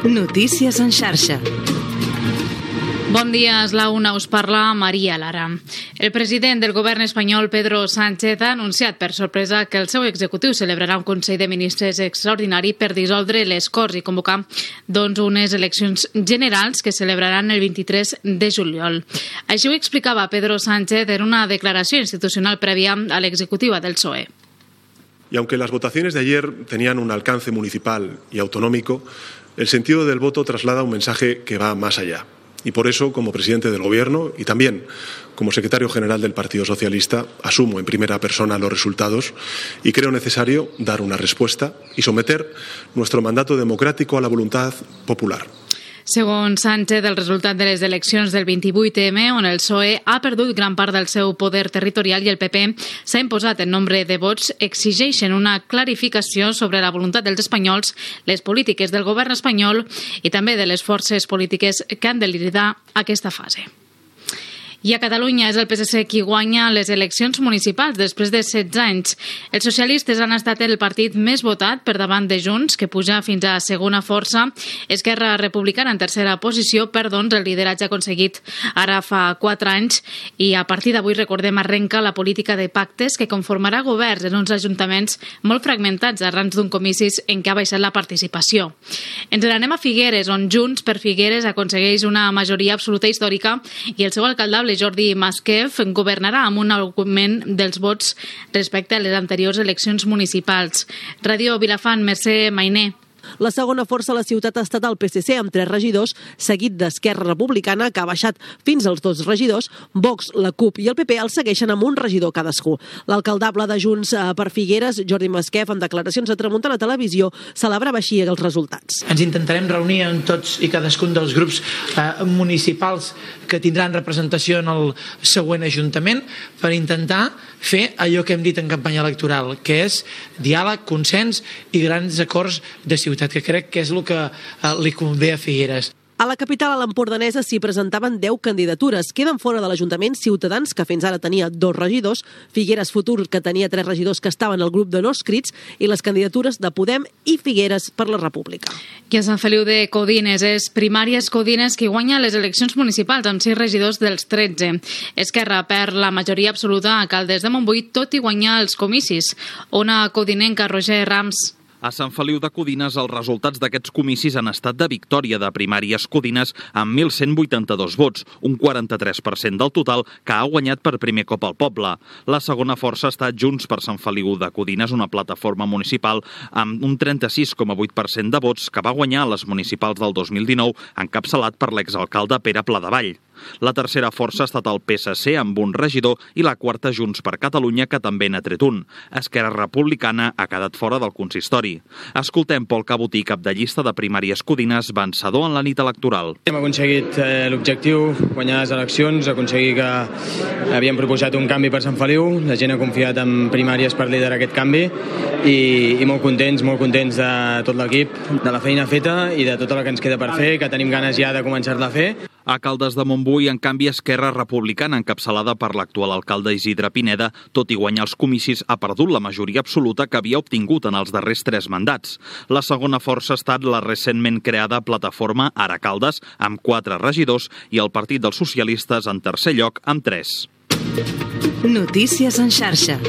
Notícies en xarxa. Bon dia, és la una, us parla Maria Lara. El president del govern espanyol, Pedro Sánchez, ha anunciat per sorpresa que el seu executiu celebrarà un Consell de Ministres extraordinari per dissoldre les Corts i convocar unes eleccions generals que celebraran el 23 de juliol. Així ho explicava Pedro Sánchez en una declaració institucional prèvia a l'executiva del PSOE. Y aunque las votaciones de ayer tenían un alcance municipal y autonómico, el sentido del voto traslada un mensaje que va más allá. Y por eso, como presidente del Gobierno y también como secretario general del Partido Socialista, asumo en primera persona los resultados y creo necesario dar una respuesta y someter nuestro mandato democrático a la voluntad popular. Segons Sánchez, el resultat de les eleccions del 28M, on el PSOE ha perdut gran part del seu poder territorial i el PP s'ha imposat en nombre de vots, exigeixen una clarificació sobre la voluntat dels espanyols, les polítiques del govern espanyol i també de les forces polítiques que han de liderar aquesta fase. I a Catalunya és el PSC qui guanya les eleccions municipals després de 16 anys. Els socialistes han estat el partit més votat per davant de Junts, que puja fins a segona força. Esquerra Republicana en tercera posició, el lideratge aconseguit ara fa 4 anys. I a partir d'avui, recordem, arrenca la política de pactes que conformarà governs en uns ajuntaments molt fragmentats arran d'un comicis en què ha baixat la participació. Ens n'anem a Figueres, on Junts per Figueres aconsegueix una majoria absoluta històrica i el seu alcaldable Jordi Masquef governarà amb un augment dels vots respecte a les anteriors eleccions municipals. Ràdio Vilafant, Mercè Mainer. La segona força a la ciutat ha estat el PSC, amb 3 regidors, seguit d'Esquerra Republicana, que ha baixat fins als 2 regidors. Vox, la CUP i el PP el segueixen amb un regidor cadascú. L'alcaldable de Junts per Figueres, Jordi Masquef, en declaracions a Tramuntana Televisió, celebrava així els resultats. Ens intentarem reunir amb tots i cadascun dels grups municipals que tindran representació en el següent Ajuntament per intentar fer allò que hem dit en campanya electoral, que és diàleg, consens i grans acords de ciutat, que crec que és el que li convé a Figueres. A la capital, a l'Empordanesa, s'hi presentaven 10 candidatures. Queden fora de l'Ajuntament Ciutadans, que fins ara tenia 2 regidors, Figueres Futur, que tenia 3 regidors que estaven al grup de no escrits, i les candidatures de Podem i Figueres per la República. I a Sant Feliu de Codines és Primàries Codines qui guanya les eleccions municipals amb 6 regidors dels 13. Esquerra perd la majoria absoluta a Caldes de Montbui, tot i guanyar els comicis. Ona codinenca, Roger Rams. A Sant Feliu de Codines, els resultats d'aquests comicis han estat de victòria de Primàries Codines amb 1.182 vots, un 43% del total, que ha guanyat per primer cop al poble. La segona força ha estat Junts per Sant Feliu de Codines, una plataforma municipal amb un 36,8% de vots que va guanyar a les municipals del 2019, encapçalat per l'exalcalde Pere Pladevall. La tercera força ha estat el PSC amb un regidor i la quarta Junts per Catalunya, que també n'ha tret un. Esquerra Republicana ha quedat fora del consistori. Escoltem Pol Cabotí, cap de llista de Primàries Codines, vencedor en la nit electoral. Hem aconseguit l'objectiu, guanyar les eleccions, aconseguir que havíem proposat un canvi per Sant Feliu, la gent ha confiat en Primàries per liderar aquest canvi i molt contents de tot l'equip, de la feina feta i de tota la que ens queda per fer, que tenim ganes ja de començar-la a fer. A Caldes de Montbui, en canvi, Esquerra Republicana, encapçalada per l'actual alcalde Isidre Pineda, tot i guanyar els comicis, ha perdut la majoria absoluta que havia obtingut en els darrers 3 mandats. La segona força ha estat la recentment creada plataforma Ara Caldes, amb 4 regidors, i el Partit dels Socialistes en tercer lloc, amb 3. Notícies en xarxa.